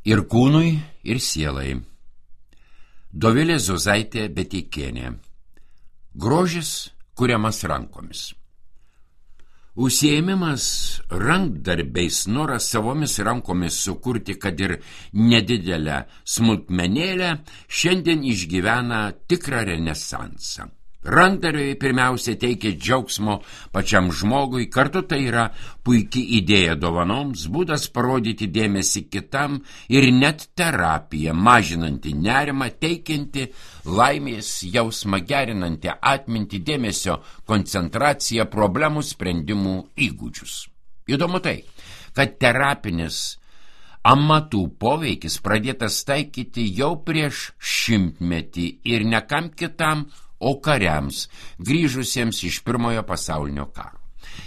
Ir kūnui, ir sielai. Dovilė Zuzaitė Beteikienė. Grožis kuriamas rankomis. Užsiėmimas rankdarbiais, noras savomis rankomis sukurti, kad ir nedidelę smulkmenėlę, šiandien išgyvena tikrą renesansą. Rankdarbiai pirmiausia teikia džiaugsmo pačiam žmogui, kartu tai yra puikiai idėja dovanoms, būdas parodyti dėmesį kitam ir net terapija, mažinanti nerimą, teikianti laimės jausmą, gerinanti atmintį, dėmesio koncentraciją, problemų sprendimų įgūdžius. Įdomu tai, kad terapinis amatų poveikis pradėtas taikyti jau prieš 100 metų ir ne kam kitam, o kariams, grįžusiems iš Pirmojo pasaulinio karo.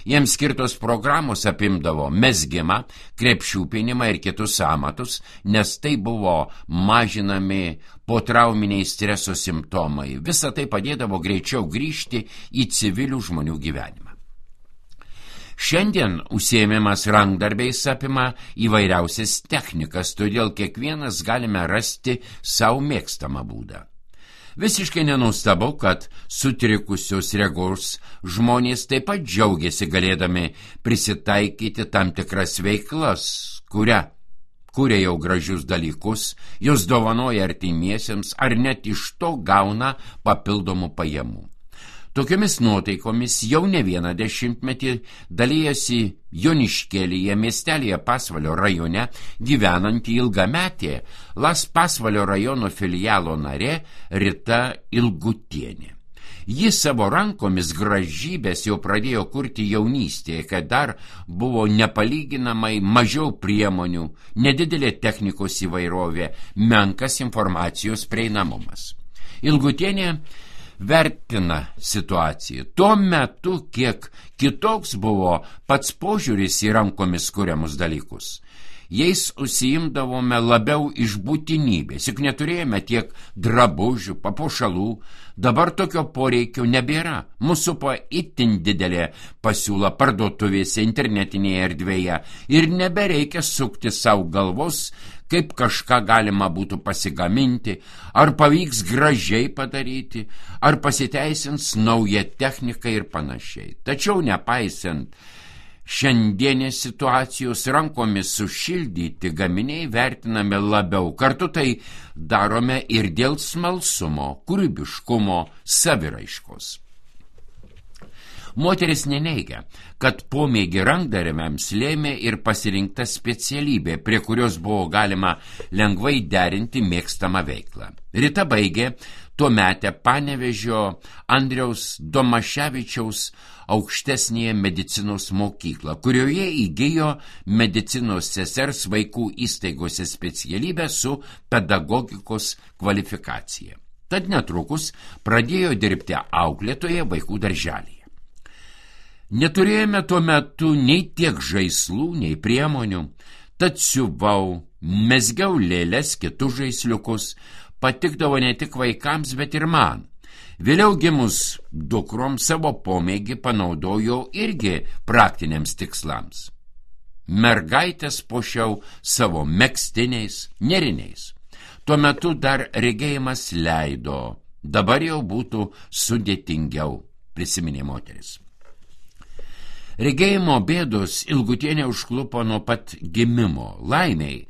Jiems skirtos programos apimdavo mezgimą, krepšiūpinimą ir kitus amatus, nes tai buvo mažinami potrauminiai streso simptomai. Visa tai padėdavo greičiau grįžti į civilių žmonių gyvenimą. Šiandien užsiėmimas rankdarbiais apima įvairiausias technikas, todėl kiekvienas galime rasti savo mėgstamą būdą. Visiškai nenustabu, kad sutrikusios regos žmonės taip pat džiaugiasi galėdami prisitaikyti tam tikras veiklas, kuria jau gražius dalykus, jos dovanoja artimiesiems ar net iš to gauna papildomų pajamų. Tokiomis nuotaikomis jau ne vieną 10 metį dalyjasi Joniškėlyje, miestelėje Pasvalio rajone gyvenanti ilgametė Las Pasvalio rajono filialo narė Rita Ilgutienė. Ji savo rankomis gražybės jau pradėjo kurti jaunystėje, kai dar buvo nepalyginamai mažiau priemonių, nedidelė technikos įvairovė, menkas informacijos prieinamumas. Ilgutienė vertina situaciją. Tuo metu kiek kitoks buvo pats požiūris į rankomis kuriamus dalykus. Jais užsiimdavome labiau iš būtinybės, juk neturėjome tiek drabužių, papuošalų, dabar tokio poreikio nebėra. Mūsų supa itin didelė pasiūla parduotuvėse, internetinėje erdvėje ir nebereikia sukti savo galvos, kaip kažką galima būtų pasigaminti, ar pavyks gražiai padaryti, ar pasiteisins nauja technika ir panašiai. Tačiau nepaisant šiandienės situacijos, rankomis sušildyti gaminiai vertiname labiau. Kartu tai darome ir dėl smalsumo, kūrybiškumo, saviraiškos. Moteris neneigia, kad pomėgį rankdarbiams lėmė ir pasirinkta specialybė, prie kurios buvo galima lengvai derinti mėgstamą veiklą. Rita baigė tuometę Panevėžio Andriaus Domaševičiaus aukštesnėje medicinos mokyklą, kurioje įgijo medicinos sesers vaikų įstaigose specialybę su pedagogikos kvalifikacija. Tad netrukus pradėjo dirbti auklėtoje vaikų darželyje. Neturėjome tuo metu nei tiek žaislų, nei priemonių, tad siuvau, mezgiau lėles, kitus žaisliukus, patikdavo ne tik vaikams, bet ir man. Vėliau gimus dukrom savo pomėgį panaudojau irgi praktiniams tikslams. Mergaitės puošiau savo megztiniais, nėriniais. Tuo metu dar regėjimas leido, dabar jau būtų sudėtingiau, prisiminė moteris. Regėjimo bėdos Ilgutienė užklupo nuo pat gimimo. Laimiai,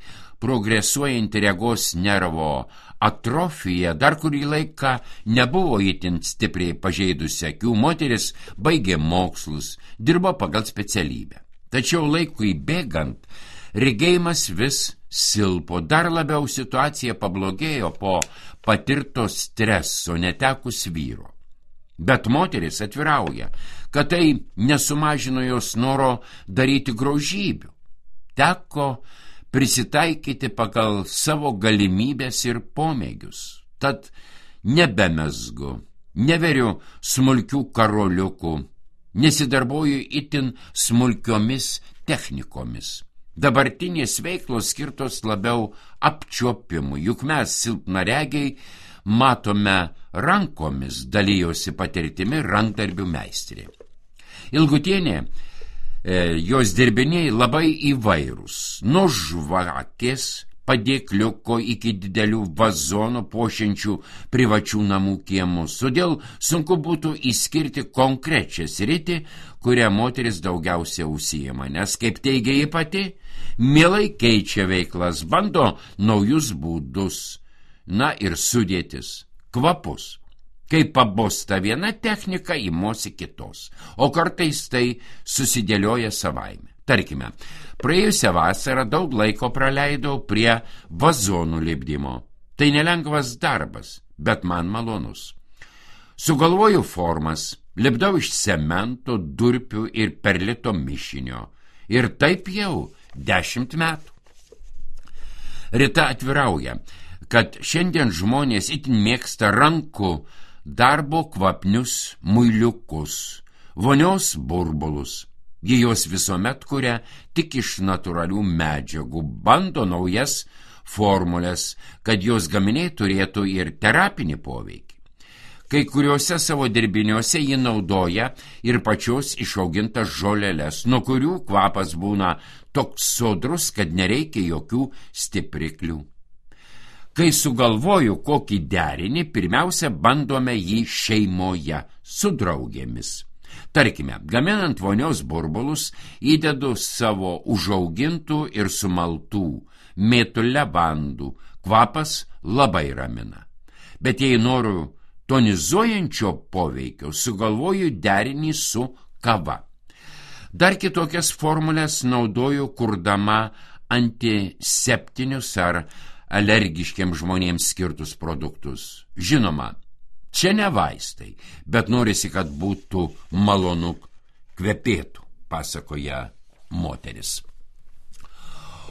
progresuojanti regos nervo atrofija dar kurį laiką nebuvo itin stipriai pažeidusi akių. Moteris baigė mokslus, dirbo pagal specialybę. Tačiau laikui bėgant, regėjimas vis silpo. Dar labiau situacija pablogėjo po patirto streso netekus vyro. Bet moteris atvirauja, kad tai nesumažino jos noro daryti grožybių. Teko prisitaikyti pagal savo galimybės ir pomėgius. Tad nebemezgu, neveriu smulkių karoliukų, nesidarbuoju itin smulkiomis technikomis. Dabartinės veiklos skirtos labiau apčiuopimui, juk mes silpnaregiai matome rankomis, dalyjosi patirtimi rankdarbių meistrė. Ilgutienė, jos dirbiniai labai įvairūs, nuo žvakės, padėkliuko iki didelių vazonų puošiančių privačių namų kiemus. Todėl sunku būtų išskirti konkrečią sritį, kurią moteris daugiausia užsijima, nes, kaip teigia ji pati, mielai keičia veiklas, bando naujus būdus, na ir sudėtis, kvapus. Kai pabosta viena technika, įmosi kitos, o kartais tai susidėlioja savaime. Tarkime, praėjusią vasarą daug laiko praleidau prie vazonų lipdymo. Tai nelengvas darbas, bet man malonus. Sugalvoju formas, lipdau iš cemento, durpių ir perlito mišinio. Ir taip jau 10 metų. Rita atvirauja, kad šiandien žmonės itin mėgsta rankų darbo kvapnius muiliukus, vonios burbulus. Ji jos visuomet kuria tik iš natūralių medžiagų, bando naujas formulės, kad jos gaminiai turėtų ir terapinį poveikį. Kai kuriuose savo dirbiniuose ji naudoja ir pačios išaugintas žoleles, nuo kurių kvapas būna toks sodrus, kad nereikia jokių stipriklių. Kai sugalvoju kokį derinį, pirmiausia bandome jį šeimoje su draugėmis. Tarkime, gaminant vonios burbulus, įdedu savo užaugintų ir sumaltų mėtų levandų. Kvapas labai ramina. Bet jei noriu tonizuojančio poveikio, sugalvoju derinį su kava. Dar kitokias formulės naudoju, kurdama antiseptinius ar alergiškiams žmonėms skirtus produktus. Žinoma, čia ne vaistai, bet norisi, kad būtų malonu kvepėtų, pasakoja moteris.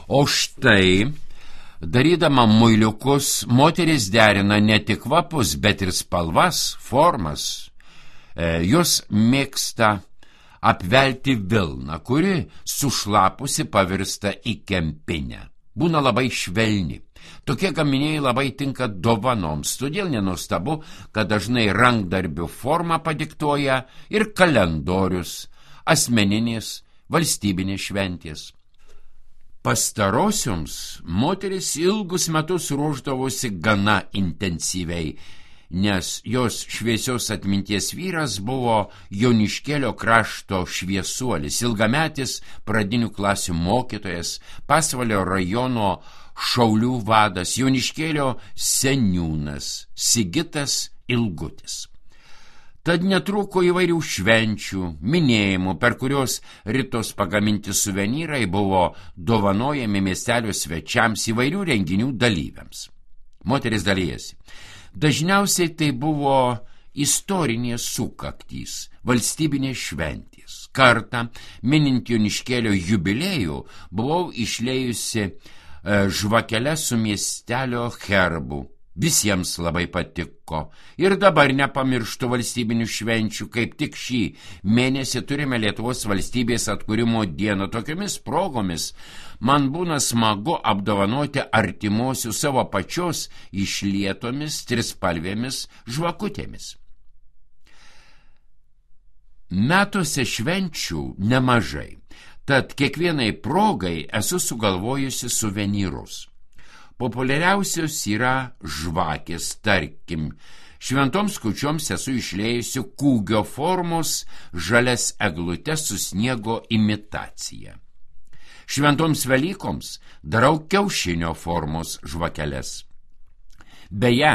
O štai, darydama muiliukus, moteris derina ne tik kvapus, bet ir spalvas, formas. Jos mėgsta apvelti vilną, kuri sušlapusi pavirsta į kempinę. Būna labai švelni. Tokie gaminiai labai tinka dovanoms, todėl nenuostabu, kad dažnai rankdarbių formą padiktuoja ir kalendorius, asmeninės, valstybinės šventės. Pastarosioms moteris ilgus metus ruošdavosi gana intensyviai, nes jos šviesios atminties vyras buvo Joniškėlio krašto šviesuolis, ilgametis pradinių klasių mokytojas, Pasvalio rajono šaulių vadas, Joniškėlio seniūnas Sigitas Ilgutis. Tad netrūko įvairių švenčių, minėjimų, per kurios Ritos pagaminti suvenyrai buvo dovanojami miestelio svečiams, įvairių renginių dalyviams. Moteris dalijasi. Dažniausiai tai buvo istorinės sukaktys, valstybinės šventės. Kartą, minint Joniškėlio jubiliejų, buvau išlėjusi žvakeles su miestelio herbu. Visiems labai patiko. Ir dabar nepamirštu valstybinių švenčių, kaip tik šį mėnesį turime Lietuvos valstybės atkūrimo dieną. Tokiomis progomis man būna smagu apdovanoti artimuosius savo pačios išlietomis trispalvėmis žvakutėmis. Metuose švenčių nemažai, tad kiekvienai progai esu sugalvojusi suvenyrus. Populiariausios yra žvakės, tarkim. Šventoms kūčioms esu išlėjusi kūgio formos žalias eglutes su sniego imitacija. Šventoms Velykoms darau kiaušinio formos žvakeles. Beje,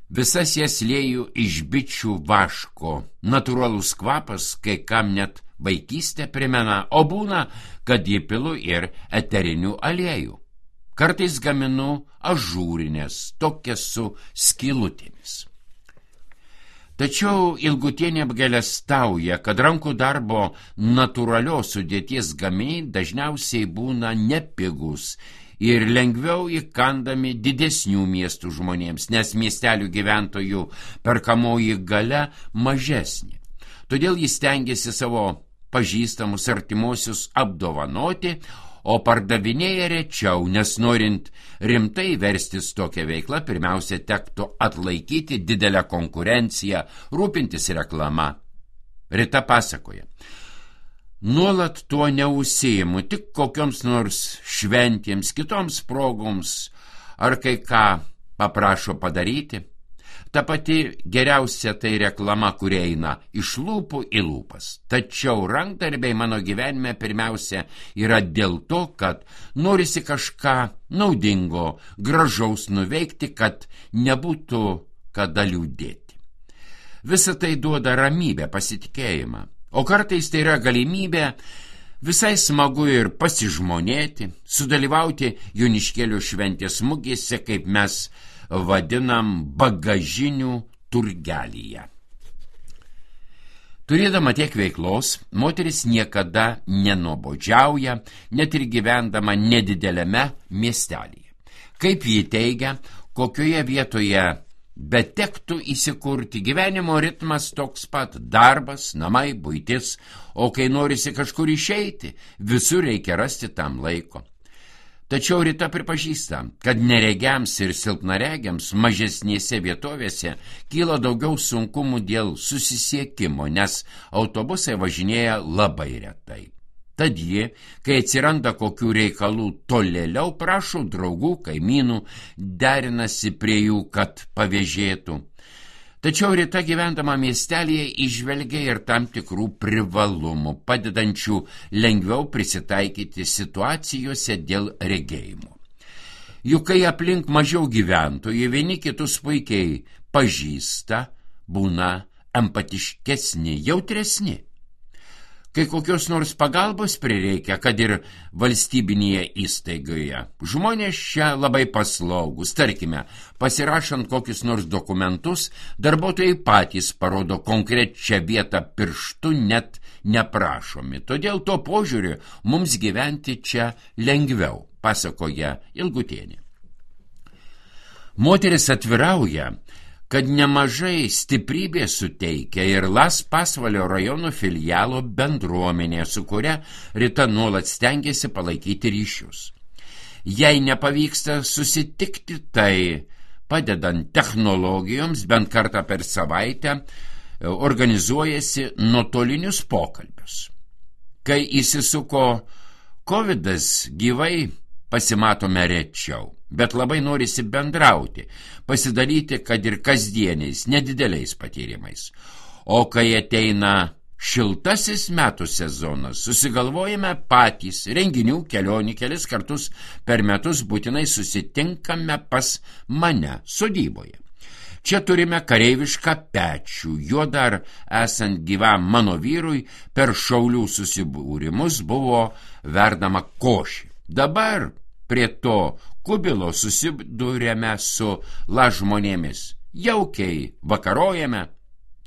visas jas lieju iš bičių vaško. Natūralus kvapas kai kam net vaikystę primena, o būna, kad įpilu ir eterinių aliejų. Kartais gaminu ažūrinės, tokias su skylutėmis. Tačiau Ilgutienė apgailestauja, kad rankų darbo natūralios sudėties gaminiai dažniausiai būna nepigus ir lengviau įkandami didesnių miestų žmonėms, nes miestelių gyventojų perkamoji galia mažesnė. Todėl jis stengiasi savo pažįstamus artimuosius apdovanoti, o pardavinėja rečiau, nes norint rimtai verstis tokią veiklą, pirmiausia tektų atlaikyti didelę konkurenciją, rūpintis reklama. Rita pasakoja. nuolat tuo neužsiimu, tik kokioms nors šventėms, kitoms progoms, ar kai ką paprašo padaryti. Ta pati geriausia tai reklama, kuri eina iš lūpų į lūpas. Tačiau rankdarbiai mano gyvenime pirmiausia yra dėl to, kad norisi kažką naudingo, gražaus nuveikti, kad nebūtų kada liūdėti. Visa tai duoda ramybę, pasitikėjimą. O kartais tai yra galimybė visai smagu ir pasižmonėti, sudalyvauti Joniškėlio šventės mugėse, kaip mes vadinam, bagažinių turgelyje. Turėdama tiek veiklos, moteris niekada nenuobodžiauja, net ir gyvendama nedidelėme miestelyje. Kaip ji teigia, kokioje vietoje betektų įsikurti, gyvenimo ritmas toks pat: darbas, namai, buitis, o kai norisi kažkur išeiti, visur reikia rasti tam laiko. Tačiau Rita pripažįsta, kad neregiams ir silpnaregiams mažesnėse vietovėse kyla daugiau sunkumų dėl susisiekimo, nes autobusai važinėja labai retai. Tad ji, kai atsiranda kokių reikalų tolėliau, prašo draugų, kaimynų, derinasi prie jų, kad pavėžėtų. Tačiau Rita, gyvendama miestelėje, įžvelgia ir tam tikrų privalumų, padedančių lengviau prisitaikyti situacijose dėl regėjimo. Juk kai aplink mažiau gyventojų, vieni kitus puikiai pažįsta, būna empatiškesni, jautresni. Kai kokios nors pagalbos prireikia, kad ir valstybinėje įstaigoje, žmonės čia labai paslaugus. Tarkime, pasirašant kokius nors dokumentus, darbuotojai patys parodo konkrečią vietą pirštu, net neprašomi. Todėl to požiūriu mums gyventi čia lengviau, pasakoja Ilgutienė. Moteris atvirauja, kad nemažai stiprybės suteikia ir Las Pasvalio rajono filialo bendruomenė, su kuria Rita nuolat stengiasi palaikyti ryšius. Jei nepavyksta susitikti, tai padedant technologijoms bent kartą per savaitę organizuojasi nuotolinius pokalbius. Kai įsisuko Covidas, gyvai pasimatome rečiau, bet labai norisi bendrauti, pasidalyti, kad ir kasdieniais, nedideliais patyrimais. O kai ateina šiltasis metų sezonas, susigalvojame patys renginių, kelionių, kelis kartus per metus būtinai susitinkame pas mane sodyboje. Čia turime kareivišką pečių, juo dar esant gyvam mano vyrui per šaulių susibūrimus buvo verdama košė. Dabar prie to kubilo susidūrėme su žmonėmis. Jaukiai vakarojame.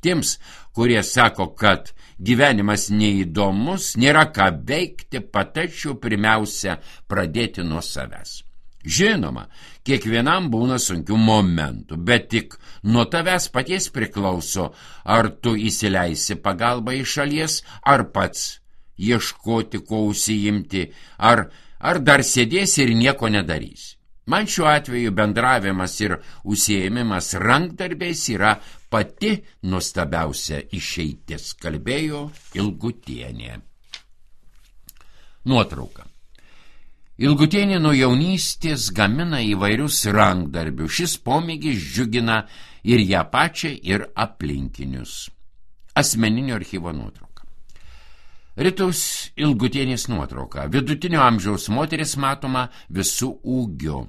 Tiems, kurie sako, kad gyvenimas neįdomus, nėra ką veikti, patarčiau pirmiausia pradėti nuo savęs. Žinoma, kiekvienam būna sunkių momentų, bet tik nuo tavęs paties priklauso, ar tu įsileisi pagalbą iš šalies, ar pats ieškoti, ko užsiimti, ar dar sėdėsi ir nieko nedarysi. Man šiuo atveju bendravimas ir užsiėmimas rankdarbiais yra pati nuostabiausia išeitis, kalbėjo Ilgutienė. Nuotrauka. Ilgutienė nuo jaunystės gamina įvairius rankdarbius. Šis pomėgis džiugina ir ją pačią, ir aplinkinius. Asmeninio archyvo nuotrauka. Ritos Ilgutienės nuotrauka. Vidutinio amžiaus moteris matoma visų ūgių.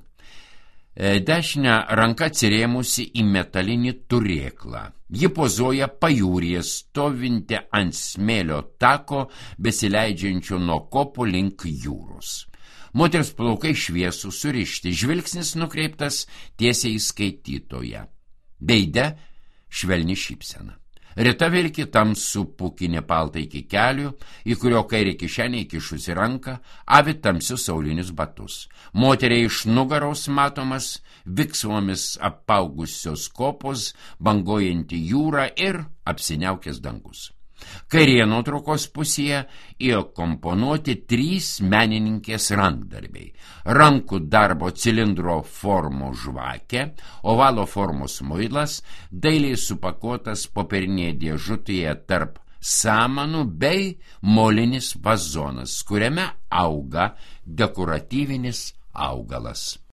Dešinę ranką atsirėmusi į metalinį turėklą. Ji pozuoja pajūryje, stovinti ant smėlio tako, besileidžiančio nuo kopų link jūros. Moters plaukai šviesų, surišti, žvilgsnis nukreiptas tiesiai į skaitytoją. Veide švelni šypsena. Rita vilki tamsų pūkinį paltą iki kelių, į kurio kairį kišenę įkišusi ranką, avi tamsius saulinius batus. Moteriai iš nugaros matomas viksvomis apaugusios kopos, banguojanti jūra ir apsiniaukęs dangus. Kairėje nuotraukos pusėje įkomponuoti 3 menininkės rankdarbiai. Rankų darbo cilindro formos žvakė, ovalo formos muilas, dailiai supakuotas popierinėje dėžutėje tarp samanų bei molinis vazonas, kuriame auga dekoratyvinis augalas.